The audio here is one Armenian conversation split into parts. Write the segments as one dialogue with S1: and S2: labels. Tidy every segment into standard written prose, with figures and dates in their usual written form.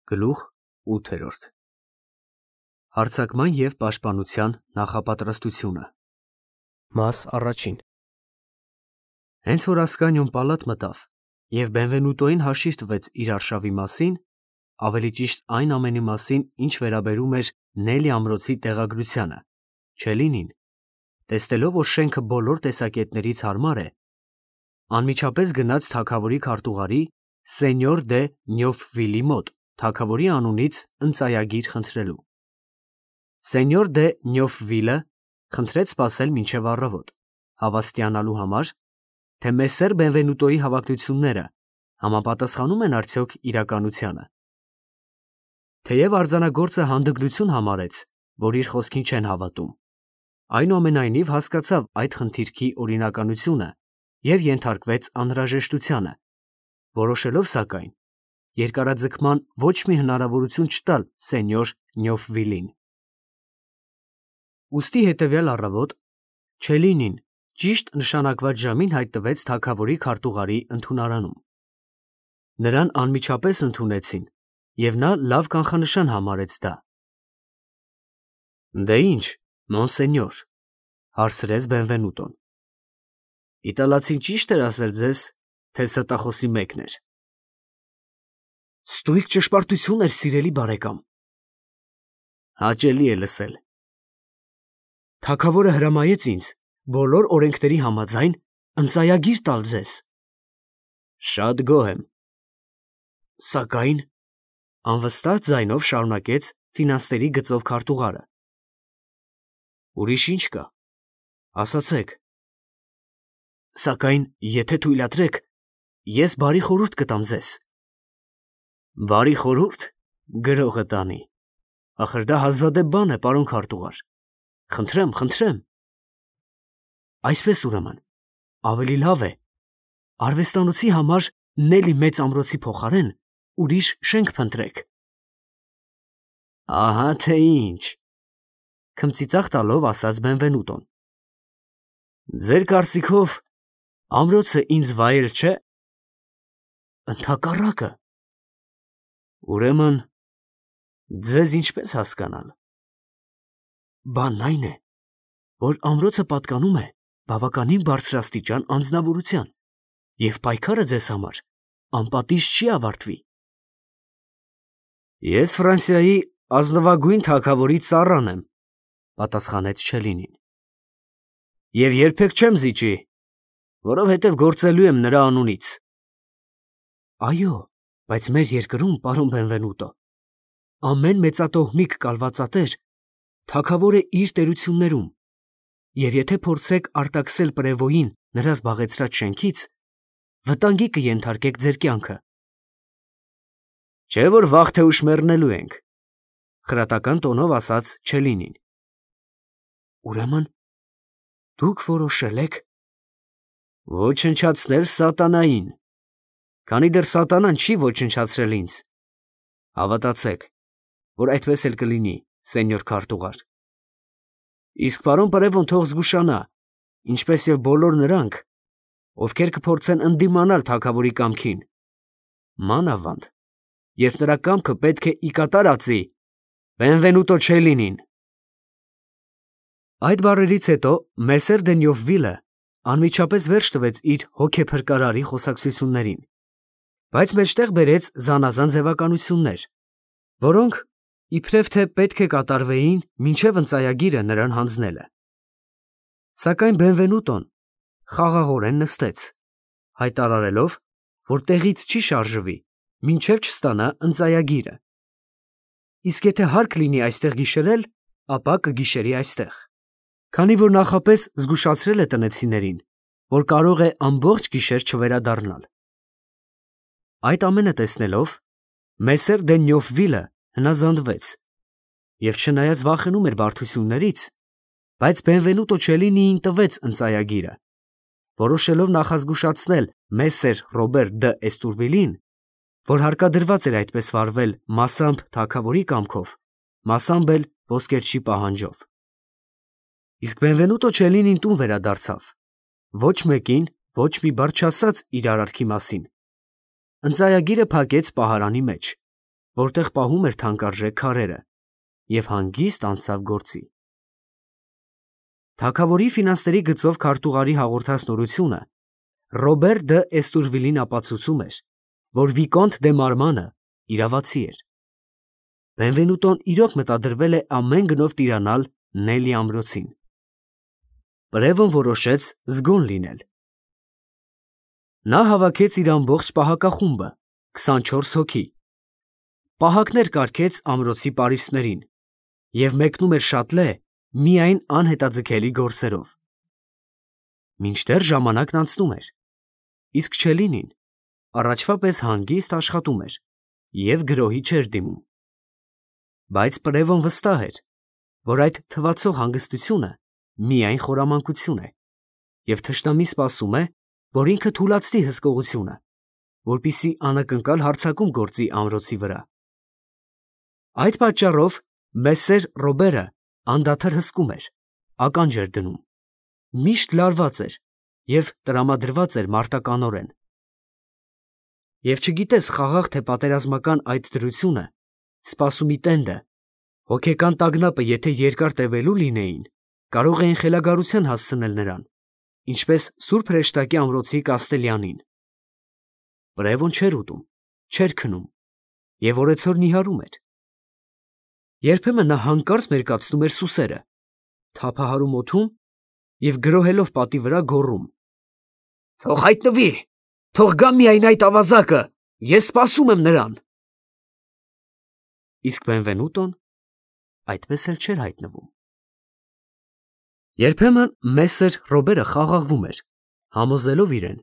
S1: Գլուխ 8 Հարձակման և պաշտպանության նախապատրաստությունը Մաս առաջին Հենց որ Ասկանիոն պալատ մտավ և Բենվենուտոյին հաշիվ տվեց իր արշավի մասին, ավելի ճիշտ այն ամենի մասին, ինչ վերաբերում էր Նելի ամրոցի տեղագրությանը, Չելինին, տեսնելով, որ շենքը բոլոր տեսակետներից հարմար է, անմիջապես գնաց թագավորի քարտուղարի Սենյոր դե Նյոֆվիլի մոտ թագավորի անունից ընծայագիր խնդրելու։ Սենյոր դե Նյոֆվիլը խնդրեց սպասել մինչև առավոտ, հավաստիանալու համար, թե մեսսեր Բենվենուտոյի հավակնությունները համապատասխանում են արդյոք իրականությանը։ Թեև արձանագործը հանդգնություն համարեց, որ իր խոսքին չեն հավատում, այնուամենայնիվ հասկացավ այդ խնդիրքի օրինականությունը և ենթարկվեց անհրաժեշտությանը, որոշելով սակայն երկարաձգման ոչ մի հնարավորություն չտալ Սենյոր Նյոֆվիլին։ Ուստի հետևյալ առավոտ Չելինին ճիշտ նշանակված ժամին հայտնվեց թագավորի քարտուղարի ընդունարանում։ Նրան անմիջապես ընդունեցին, և նա լավ կանխանշան համարեց դա։ Դե ինչ, մոնսենյոր, հարցրեց Բենվենուտոն, իտալացին ճի՞շտ էր ասել ձեզ, թե ստախոսի մեկն էր։ Ստույգ ճշմարտություն էր, սիրելի բարեկամ։ Հաճելի է լսել։ Թագավորը հրամայեց ինձ բոլոր օրենքների համաձայն ընծայագիր տալ ձեզ։ Շատ գոհ եմ։ Սակայն, անվստահ ձայնով շարունակեց ֆինանսների գծով քարտուղարը։ Ուրիշ ինչ կա, ասացեք։ Սակայն, եթե թույլատրեք, ես բարի խորհուրդ կտամ ձեզ։ Բարի խորհուրդ, գրողը տանի։ Ախր դա հազվադեպ բան է, պարոն քարտուղար։ Խնդրեմ, խնդրեմ։ Այսպես ուրեմն, ավելի լավ է արվեստանոցի համար Նելի մեծ ամրոցի փոխարեն ուրիշ շենք փնտրեք։ Ահա թե ինչ, քմծիծաղ տալով ասաց Բենվենուտոն։ Ձեր կարծիքով ամրոցը ինձ վայել չէ։ Ընդհակառակը։ Ուրեմն, ձեզ ինչպես հասկանալ։ Բանն այն է, որ ամրոցը պատկանում է բավականին բարձրաստիճան անձնավորության, և պայքարը ձեզ համար անպատիժ չի ավարտվի։ Ես Ֆրանսիայի ազնվագույն թագավորի ծառան եմ, պատասխանեց Չելինին, և երբեք չեմ զիջի, որովհետև գործելու եմ նրա անունից։ Այո, բայց մեր երկրում, պարոն Բենվենուտո, ամեն մեծատոհմիկ կալվածատեր թագավոր է իր տերություններում, և եթե փորձեք արտաքսել պրևոյին նրա զբաղեցրած շենքից, վտանգի կենթարկեք ձեր կյանքը։ Չէ՞ որ վաղ թե ուշ մեռնելու ենք, խրատական տոնով ասաց Չելինին։ Ուրեմն, դուք որոշել եք ոչնչացնել սատանային, քանի դեռ սատանան չի ոչնչացրել ինձ։ Հավատացեք, որ այդպես էլ կլինի, սենյոր քարտուղար։ Իսկ պարոն պրևոն թող զգուշանա, ինչպես և բոլոր նրանք, ովքեր կփորձեն ընդդիմանալ թագավորի կամքին, մանավանդ, երբ նրա կամքը պետք է ի կատար ածի Բենվենուտո Չելինին։ Այդ բառերից հետո մեսսեր դե Նյոֆվիլը անմիջապես վերջ տվեց իր հոգեփրկարարի խոսակցություններին, բայց մեջտեղ բերեց զանազան ձևականություններ, որոնք իբրև թե պետք է կատարվեին մինչև ընծայագիրը նրան հանձնելը։ Սակայն Բենվենուտոն խաղաղորեն նստեց, հայտարարելով, որ տեղից չի շարժվի, մինչև չստանա ընծայագիրը։ Իսկ եթե հարկ լինի այստեղ գիշերել, ապա կգիշերի այստեղ, քանի որ նախապես զգուշացրել է տնեցիներին, որ կարող է ամբողջ գիշեր չվերադառնալ։ Այդ ամենը տեսնելով, մեսսեր դե Նյոֆվիլը հնազանդվեց, և չնայած վախենում էր բարդություններից, բայց Բենվենուտո Չելինիին տվեց ընծայագիրը, որոշելով նախազգուշացնել մեսսեր Ռոբեր դը Էստուրվիլին, որ հարկադրված էր այդպես վարվել մասամբ թագավորի կամքով, մասամբ էլ ոսկերչի պահանջով։ Իսկ Բենվենուտո Չելինին տուն վերադարձավ, ոչ մեկին ոչ մի բառ չասաց իր արարքի մասին։ Ընծայագիրը փակեց պահարանի մեջ, որտեղ պահում էր թանկարժեք քարերը, և հանգիստ անցավ գործի։ Թագավորի ֆինանսների գծով քարտուղարի հաղորդած նորությունը Ռոբեր դը Էստուրվիլին ապացուցում էր, որ Վիկոնտ դե Մարմանը իրավացի էր։ Բենվենուտոն իրոք մտադրվել է ամեն գնով տիրանալ Նելի ամրոցին։ Պրևոն որոշեց զգոն լինել։ Նա հավաքեց իր ամբողջ պահակախումբը, 24 հոգի։ Պահակներ կարգեց ամրոցի պարիսպներին և մեկնում էր շատլե միայն անհետաձգելի գործերով։ Մինչդեռ ժամանակն անցնում էր, իսկ Չելինին առաջվա պես հանգիստ աշխատում էր և գրոհի չէր դիմում։ Բայց Պրևոն վստահ էր, որ այդ թվացող հանգստությունը միայն խորամանկություն է, և թշնամի սպասում է, որ ինքը թուլացնի հսկողությունը, որպեսզի անակնկալ հարձակում գործի ամրոցի վրա։ Այդ պատճառով Մեսսեր Ռոբերը անդադար հսկում էր, ականջ էր դնում, միշտ լարված էր և տրամադրված էր մարտականորեն։ Եվ չգիտես խաղաղ թե պատերազմական այդ դրությունը, սպասումի տենդը, հոգեկան տագնապը եթե երկար տևելու լինեին, կարող էին խելագարության հասցնել նրան, ինչպես Սուրբ Հրեշտակի ամրոցի Կաստելյանին։ Պրևոն չէր ուտում, չէր քնում և օրեցօր նիհարում էր։ Երբեմն նա հանկարծ մերկացնում էր սուսերը, թափահարում օդում և գրոհելով պատի վրա գոռում. «Թող հայտնվի, թող գա միայն այդ ավազակը, ես սպասում եմ նրան»։ Իսկ Բենվենուտոն այդպես էլ չէր հայտնվում։ Երբեմն Մեսսեր Ռոբերը խաղաղվում էր, համոզելով իրեն,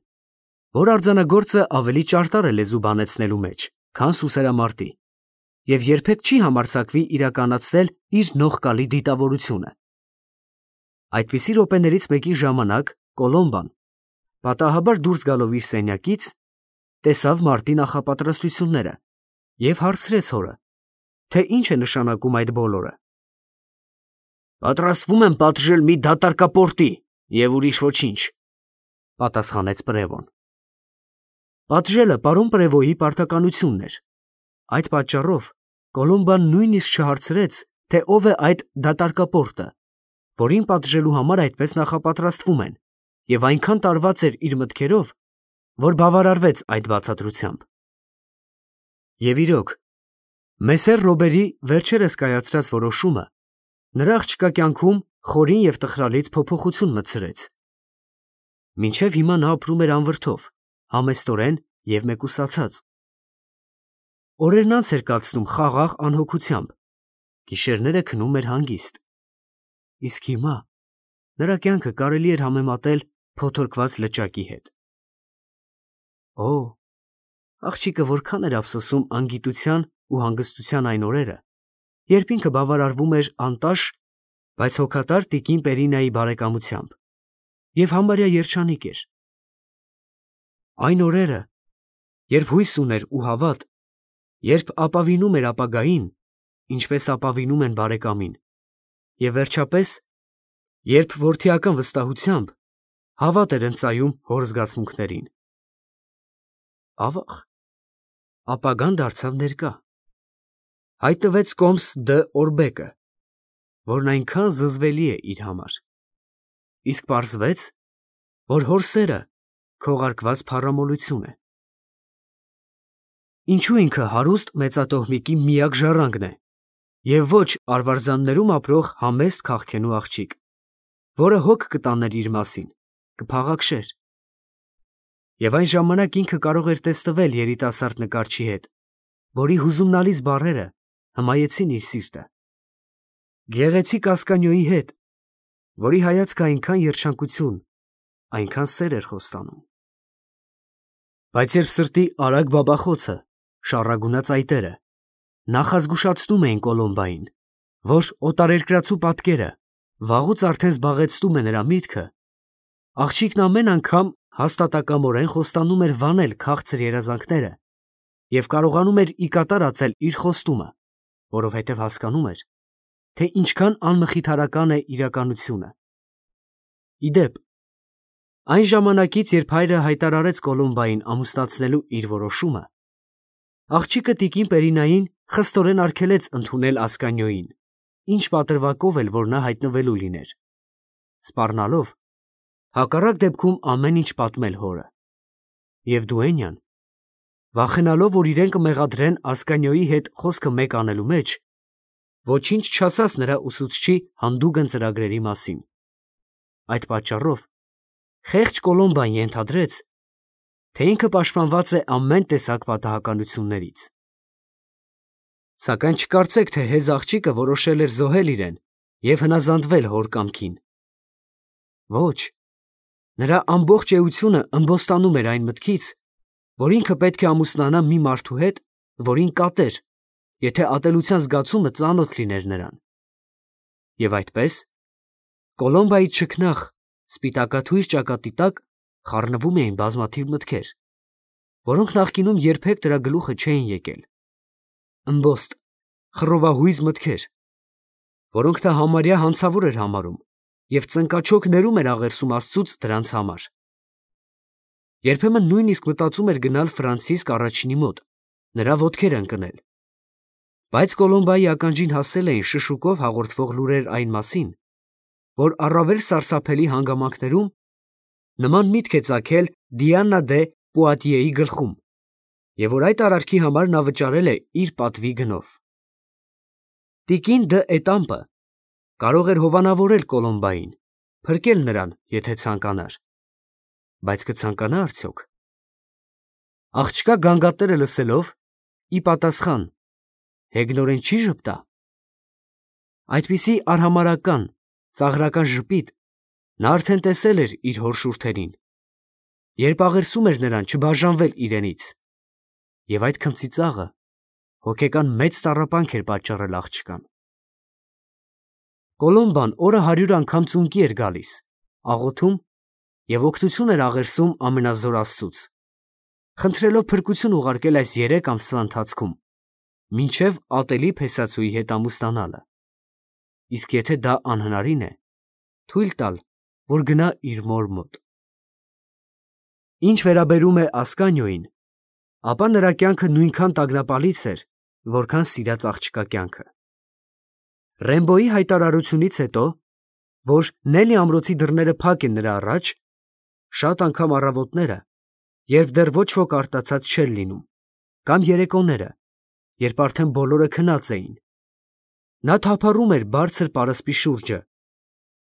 S1: որ արձանագործը ավելի ճարտար է լեզու բանեցնելու մեջ, քան սուսերամարտի, և երբեք չի համարձակվի իրականացնել իր նողկալի դիտավորությունը։ Այդպիսի րոպեներից մեկի ժամանակ Կոլոմբան, պատահաբար դուրս գալով իր սենյակից, տեսավ մարտի նախապատրաստությունները և հարցրեց հորը, թե ինչ է նշանակում այդ բոլորը։ «Պատրաստվում եմ պատժել մի դատարկապորտի և ուրիշ ոչինչ», պատասխանեց Պրևոն։ Պատժելը պարոն Պրևոյի պարտականությունն էր։ Այդ պատճառով Կոլոմբան նույնիսկ չհարցրեց, թե ով է այդ դատարկապորտը, որին պատժելու համար այդպես նախապատրաստվում են, և այնքան տարված էր իր մտքերով, որ բավարարվեց այդ բացատրությամբ։ Եվ իրոք, Մեսսեր Ռոբերի վերջերս կայացրած որոշումը նրա աղջկա կյանքում խորին և տխրալից փոփոխություն մտցրեց։ Մինչև հիմա նա ապրում էր անվրդով, համեստորեն և մեկուսացած։ Օրերն անց էր կացնում խաղաղ անհոգությամբ, գիշերները քնում էր հանգիստ։ Իսկ հիմա նրա կյանքը կարելի էր համեմատել փոթորկված լճակի հետ։ Օ, աղջիկը որքան էր ափսոսում անգիտության ու հանգստության այն օրերը, երբ ինքը բավարարվում էր անտաշ, բայց հոգատար տիկին Պերինայի բարեկամությամբ և համարյա երջանիկ էր։ Այն օրերը, երբ հույս ուներ ու հավատ, երբ ապավինում էր ապագային, ինչպես ապավինում են բարեկամին, և վերջապես, երբ որդիական վստահությամբ հավատ էր ընծայում հոր զգացմունքներին։ Ավաղ, ապագան դարձավ ներկա։ Հայտնվեց Կոմս դը Օրբեկը, որն այնքան զզվելի է իր համար, իսկ պարզվեց, որ հոր սերը քողարկված փառամոլություն է։ Ինչու ինքը հարուստ մեծատոհմիկի միակ ժառանգն է, և ոչ արվարձաններում ապրող համեստ քաղքենու աղջիկ, որը հոգ կտաներ իր մասին, կփաղաքշեր։ Եվ այն ժամանակ ինքը կարող էր տեսնվել երիտասարդ նկարչի հետ, որի հուզումնալից բառերը հմայեցին իր սիրտը, գեղեցիկ Ասկանիոյի հետ, որի հայացքը այնքան երջանկություն, այնքան սեր էր խոստանում։ Բայց երբ սրտի արագ բաբախոցը, շառագունած այտերը նախազգուշացնում էին Կոլոմբային, որ օտարերկրացու պատկերը վաղուց արդեն զբաղեցնում է նրա միտքը, աղջիկն ամեն անգամ հաստատակամորեն խոստանում էր վանել քաղցր երազանքները և կարողանում էր ի կատար ածել իր խոստումը, որովհետև հասկանում էր, թե ինչքան անմխիթարական է իրականությունը։ Ի դեպ, այն ժամանակից, երբ հայրը հայտարարեց Կոլոմբային ամուսնացնելու իր որոշումը, աղջիկը տիկին Պերինային խստորեն արգելեց ընդունել Ասկանյոյին, ինչ պատրվակով էլ որ նա հայտնվելու լիներ, սպառնալով հակառակ դեպքում ամեն ինչ պատմել հորը։ Եվ Դուենյան, վախենալով, որ իրեն կմեղադրեն Ասկանյոյի հետ խոսքը մեկ անելու մեջ, ոչինչ չասաց նրա ուսուցչի հանդուգն ծրագրերի մասին։ Այդ պատճառով խեղճ Կոլոմբան ենթադրեց, թե ինքը պաշտպանված է ամեն տեսակ պատահականություններից։ Սակայն չկարծեք, թե հեզ աղջիկը որոշել էր զոհել իրեն և հնազանդվել հոր կամքին։ Ոչ, նրա ամբողջ էությունը ըմբոստանում էր այն մտքից, որ ինքը պետք է ամուսնանա մի մարդու հետ, որին կատեր, եթե ատելության զգացումը ծանոթ լիներ նրան։ Եվ այդպես, Կոլոմբայի չքնաղ, սպիտակաթույր ճակատի տակ խառնվում էին բազմաթիվ մտքեր, որոնք նախկինում երբեք դրա գլուխը չէին եկել։ Ըմբոստ, խռովահույզ մտքեր, որոնք նա համարյա հանցավոր էր համարում և ծնկաչոք ներում էր աղերսում Աստծուց դրանց համար։ Երբեմն նույնիսկ մտածում էր գնալ Ֆրանցիսկ առաջինի մոտ, նրա ոտքերը ընկնել։ Բայց Կոլոմբայի ականջին հասել էին շշուկով հաղորդվող լուրեր այն մասին, որ առավել սարսափելի հանգամանքներում նման միտք է ծագել Դիանա դե Պուատիեի գլխում, և որ այդ արարքի համար նա վճարել է իր պատվի գնով։ Տիկին դը Էտամպը կարող էր հովանավորել Կոլոմբային, փրկել նրան, եթե ցանկանար։ Բայց կցանկանա արդյոք։ Աղջկա գանգատները լսելով, ի պատասխան, հեգնորեն չի ժպտա։ Այդպիսի արհամարհական, ծաղրական ժպիտ նա արդեն տեսել էր իր հոր շուրթերին, երբ աղերսում էր նրան չբաժանվել իրենից, և այդ քմծիծաղը հոգեկան մեծ տառապանք էր պատճառել աղջկան։ Կոլոմբան օրը 100 անգամ ծունկի էր գալիս, աղոթում և օգնություն էր աղերսում ամենազոր Աստծուց, խնդրելով փրկություն ուղարկել այս 3 ամսվա ընթացքում, մինչև ատելի փեսացուի հետ ամուսնանալը, իսկ եթե դա անհնարին է, թույլ տալ, որ գնա իր մոր մոտ։ Ինչ վերաբերում է Ասկանյոյին, ապա նրա կյանքը նույնքան տագնապալից էր, որքան սիրած աղջկա կյանքը։ Ռեմբոյի հայտարարությունից հետո, որ Նելի ամրոցի դռները փակ են նրա առաջ, շատ անգամ առավոտները, երբ դեռ ոչ ոք արտացած չէր լինում, կամ երեկոները, երբ արդեն բոլորը քնած էին, նա թափառում էր բարձր պարսպի շուրջը,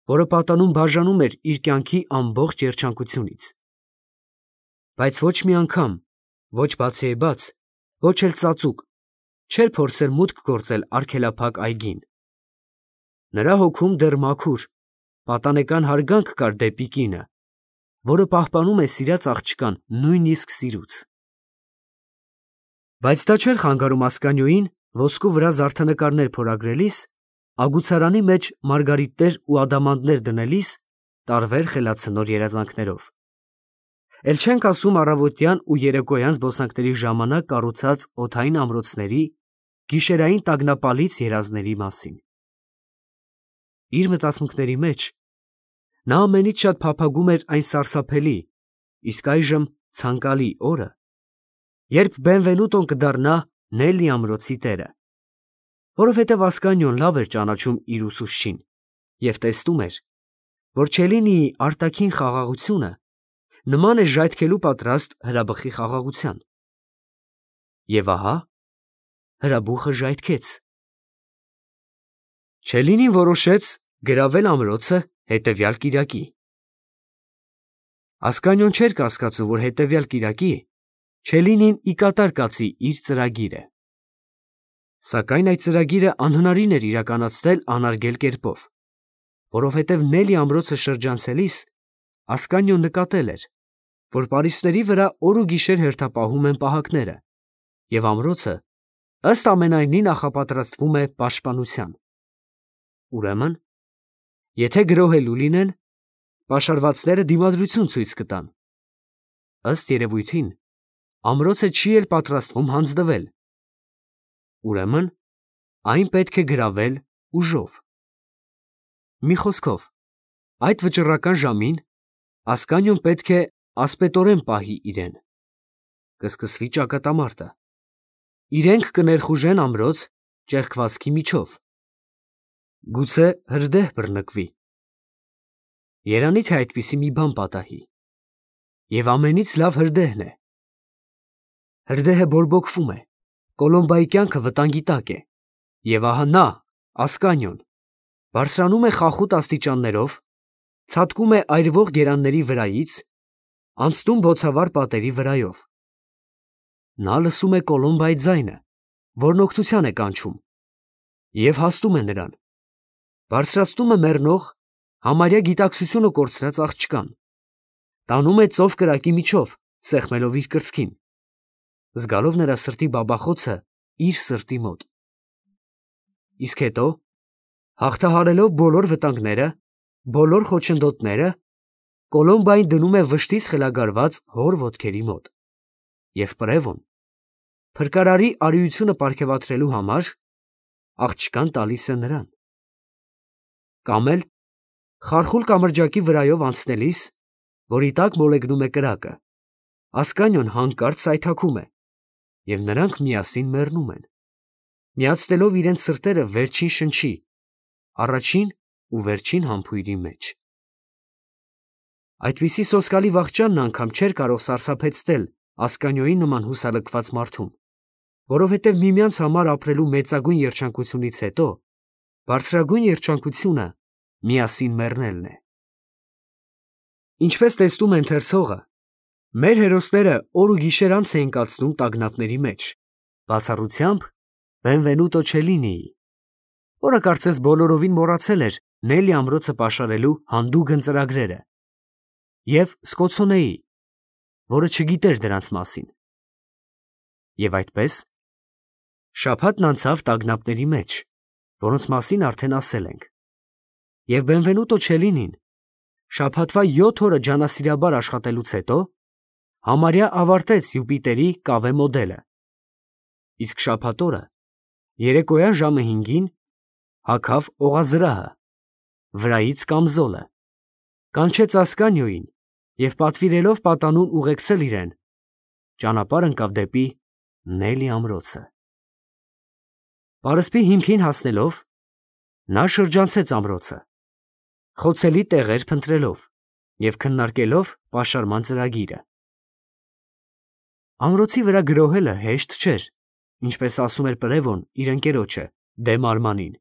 S1: որը պատանում բաժանում էր իր կյանքի ամբողջ երջանկությունից։ Բայց ոչ մի անգամ, ոչ բացիեբաց, ոչ էլ ծածուկ, չէր փորձել մուտք գործել արգելափակ այգին։ Նրա հոգում դեռ մաքուր, պատանեկան հարգանք կար դեպի կինը, որը պահպանում է սիրած աղջկան նույնիսկ սիրուց։ Բայց դա չէր խանգարում Ասկանյոյին ոսկու վրա զարդանկարներ փորագրելիս, ագուցարանի մեջ մարգարիտներ ու ադամանդներ դնելիս տարվեր խելացնոր երազանքներով։ Էլ չենք ասում առավոտյան ու երեկոյան զբոսանքների ժամանակ կառուցած օդային ամրոցների, գիշերային տագնապալից երազների մասին։ Իր մտածմունքների մեջ նա ամենից շատ փափագում էր այն սարսափելի, իսկ այժմ ցանկալի օրը, երբ Բենվենուտոն կդառնա Նելի ամրոցի տերը, որովհետև Ասկանյոն լավ էր ճանաչում իր ուսուցչին և տեսնում էր, որ Չելինիի արտաքին խաղաղությունը նման է ժայթքելու պատրաստ հրաբխի խաղաղության։ Եվ ահա հրաբուխը ժայթքեց։ Չելինին որոշեց գրավել ամրոցը հետևյալ կիրակի։ Ասկանյոն չէր կասկածում, որ հետևյալ կիրակի Չելինին ի կատար կացի իր ծրագիրը։ Սակայն այդ ծրագիրը անհնարին էր իրականացնել անարգել կերպով, որովհետև Նելի ամրոցը շրջանցելիս Ասկանյոն նկատել էր, որ պարիսպների վրա օր ու գիշեր հերթապահում են պահակները, և ամրոցը ըստ ամենայնի նախապատրաստվում է պաշտպանության։ Ուրեմն, եթե գրոհելու լինեն, պաշարվածները դիմադրություն ցույց կտան։ Ըստ երևույթին, ամրոցը չի էլ պատրաստվում հանձնվել։ Ուրեմն, այն պետք է գրավել ուժով։ Մի խոսքով, այդ վճռական ժամին Ասկանյոն պետք է ասպետորեն պահի իրեն։ Կսկսվի ճակատամարտը։ իրենք կներխուժեն ամրոց ճեղքվածքի միջով։ Գուցե հրդեհ բռնկվի։ Երանի թե այդպիսի մի բան պատահի։ Եվ ամենից լավ հրդեհն է։ Հրդեհը բորբոքվում է, Կոլոմբայի կյանքը վտանգի տակ է, և ահա նա, Ասկանիոն, բարձրանում է խախուտ աստիճաններով, ցատկում է այրվող գերանների վրայից, անցնում բոցավառ պատերի վրայով։ Նա լսում է Կոլոմբայի ձայնը, որն օգնության է կանչում, և հասնում է նրան, բարձրացնում է մեռնող, համարյա գիտակցությունը կորցրած աղջկան, տանում է ծով կրակի միջով, սեղմելով իր կրծքին, զգալով նրա սրտի բաբախոցը իր սրտի մոտ։ Իսկ հետո, հաղթահարելով բոլոր վտանգները, բոլոր խոչընդոտները, Կոլոմբային դնում է վշտից խելագարված հոր ոտքերի մոտ, և Պրևոն, փրկարարի արիությունը պարգևատրելու համար, աղջկան տալիս է նրան։ Կամ էլ, խարխուլ կամրջակի վրայով անցնելիս, որի տակ մոլեգնում է կրակը, Ասկանիոն հանկարծ սայթաքում է, և նրանք միասին մեռնում են, միացնելով իրենց սրտերը վերջին շնչի, առաջին ու վերջին համբույրի մեջ։ Այդպիսի սոսկալի վախճանն անգամ չէր կարող սարսափեցնել Ասկանիոյի նման հուսալքված մարդուն, որովհետև միմյանց համար ապրելու մեծագույն երջանկությունից հետո բարձրագույն երջանկությունը միասին մեռնելն է։ Ինչպես տեսնում է ընթերցողը, մեր հերոսները օր ու գիշեր անց էին կացնում տագնապների մեջ, բացառությամբ Բենվենուտո Չելինիի, որը կարծես բոլորովին մոռացել էր Նելի ամրոցը պաշարելու հանդուգն ծրագրերը, և Սկոցոնեի, որը չգիտեր դրանց մասին։ Եվ այդպես, շաբաթն անցավ տագնապների մեջ, որոնց մասին արդեն ասել ենք, և Բենվենուտո Չելինին շաբաթվա 7 օրը ջանասիրաբար աշխատելուց հետո համարյա ավարտեց Յուպիտերի կավե մոդելը, իսկ շաբաթ օրը երեկոյան ժամը 5-ին հագավ օղազրահը, վրայից կամզոլը, կանչեց Ասկանիոյին և պատվիրելով պատանուն ուղեկցել իրեն, ճանապարհ ընկավ դեպի Նելի ամրոցը։ Պարսպի հիմքին հասնելով, նա շրջանցեց ամրոցը, խոցելի տեղեր փնտրելով և քննարկելով պաշարման ծրագիրը։ Ամրոցի վրա գրոհելը հեշտ չէր, ինչպես ասում էր Պրևոն իր ընկերոջը Դե Մարմանին,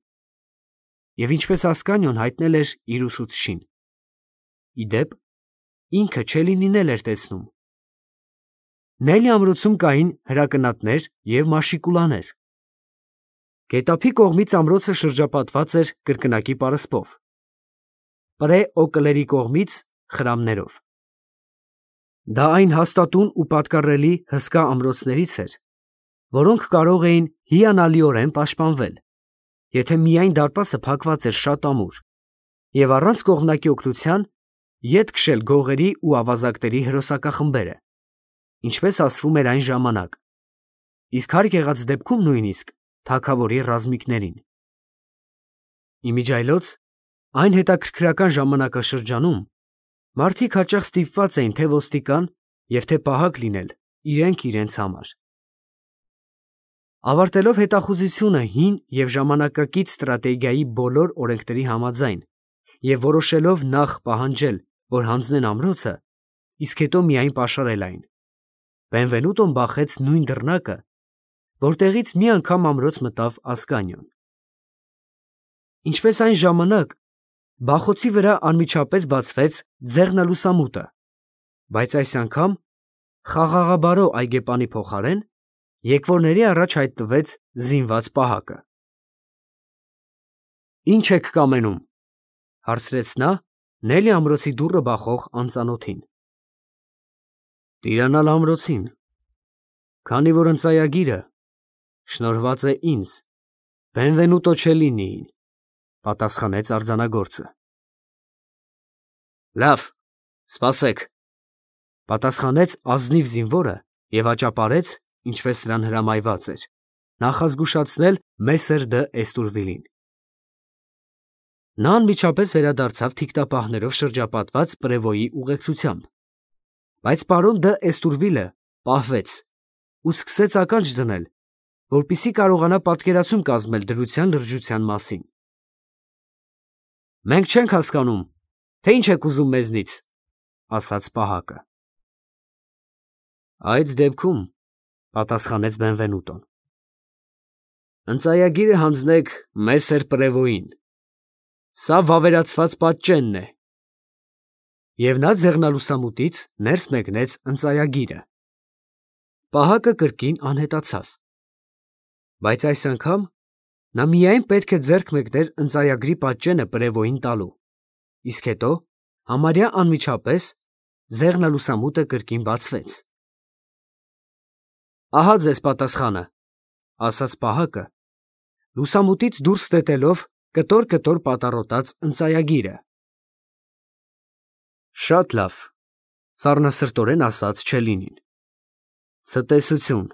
S1: և ինչպես Ասկանիոն հայտնել էր իր ուսուցչին։ Ի դեպ, ինքը Չելինին էլ էր տեսնում։ Նելի ամրոցում կային հրակնատներ և մաշիկուլաներ։ Գետափի կողմից ամրոցը շրջապատված էր կրկնակի պարսպով, Պրե Օկլերի կողմից խրամներով։ Դա այն հաստատուն ու պատկառելի հսկա ամրոցներից էր, որոնք կարող էին հիանալիորեն պաշտպանվել, եթե միայն դարպասը փակված էր շատ ամուր, և առանց կողմնակի օգնության ետ քշել գողերի ու ավազակների հրոսակախմբերը, ինչպես ասվում էր այն ժամանակ, իսկ հարկ եղած դեպքում նույնիսկ թագավորի ռազմիկներին։ Իմիջիայլոց այն հետաքրքրական ժամանակաշրջանում մարդիկ հաճախ ստիպված էին թե ոստիկան և թե պահակ լինել իրենք իրենց համար։ Ավարտելով հետախուզությունը հին և ժամանակակից ստրատեգիայի բոլոր օրենքների համաձայն և որոշելով նախ պահանջել, որ հանձնեն ամրոցը, իսկ հետո միայն պաշարել այն, Բենվենուտոն բախեց նույն դռնակը, որտեղից մի անգամ ամրոց մտավ Ասկանիոն։ Ինչպես այն ժամանակ, բախոցի վրա անմիջապես բացվեց ձեղնալուսամուտը, բայց այս անգամ խաղաղաբարո այգեպանի փոխարեն եկվորների առաջ հայտնվեց զինված պահակը։ «Ի՞նչ եք կամենում», հարցրեց նա Նելի ամրոցի դուռը բախող անծանոթին։ «Տիրանալ ամրոցին, քանի որ ընծայագիրը շնորհված է ինձ, Բենվենուտո Չելինիին», պատասխանեց արձանագործը։ «Լավ, սպասեք», պատասխանեց ազնիվ զինվորը և աճապարեց, ինչպես նրան հրամայված էր, նախազգուշացնել Մեսեր դ'Էստուրվիլին։ Նա անմիջապես վերադարձավ թիկնապահներով շրջապատված Պրևոյի ուղեկցությամբ, բայց պարոն դ'Էստուրվիլը պահվեց ու սկսեց ականջ դնել որպեսզի կարողանա պատկերացում կազմել դրության լրջության մասին։ Մենք չենք հասկանում, թե ինչ եք ուզում մեզնից, ասաց պահակը։ Այդ դեպքում, պատասխանեց Բենվենուտոն, ընծայագիրը հանձնեք Մեսեր Պրևոյին։ Սա վավերացված պատճենն է։ Եվ նա ձեղնալուսամուտից ներս մեկնեց ընծայագիրը։ Պահակը կրկին անհետացավ։ Բայց այս անգամ նա միայն պետք է ձեռք մեկներ ընծայագրի պատճենը Պրևոյին տալու, իսկ հետո համարյա անմիջապես ձեղնալուսամուտը կրկին բացվեց։ Ահա ձեզ պատասխանը, ասաց պահակը, լուսամուտից դուրս ստետելով կտոր պատառոտած ընծայագիրը։ Շատ լավ, սառնասրտորեն ասաց Չելինին։ Ցտեսություն։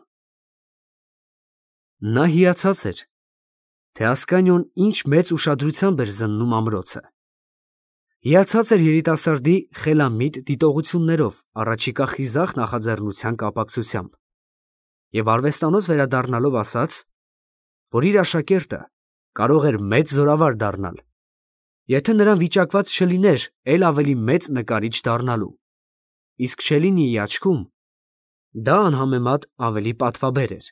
S1: Նա հիացած էր, թե Ասկանիոն ինչ մեծ ուշադրությամբ էր զննում ամրոցը։ Հիացած էր երիտասարդի խելամիտ դիտողություններով առաջիկա խիզախ նախաձեռնության կապակցությամբ և արվեստանոց վերադառնալով ասաց, որ իր աշակերտը կարող էր մեծ զորավար դառնալ, եթե նրան վիճակված չլիներ էլ ավելի մեծ նկարիչ դառնալու, իսկ Չելինիի աչքում դա անհամեմատ ավելի պատվաբեր էր։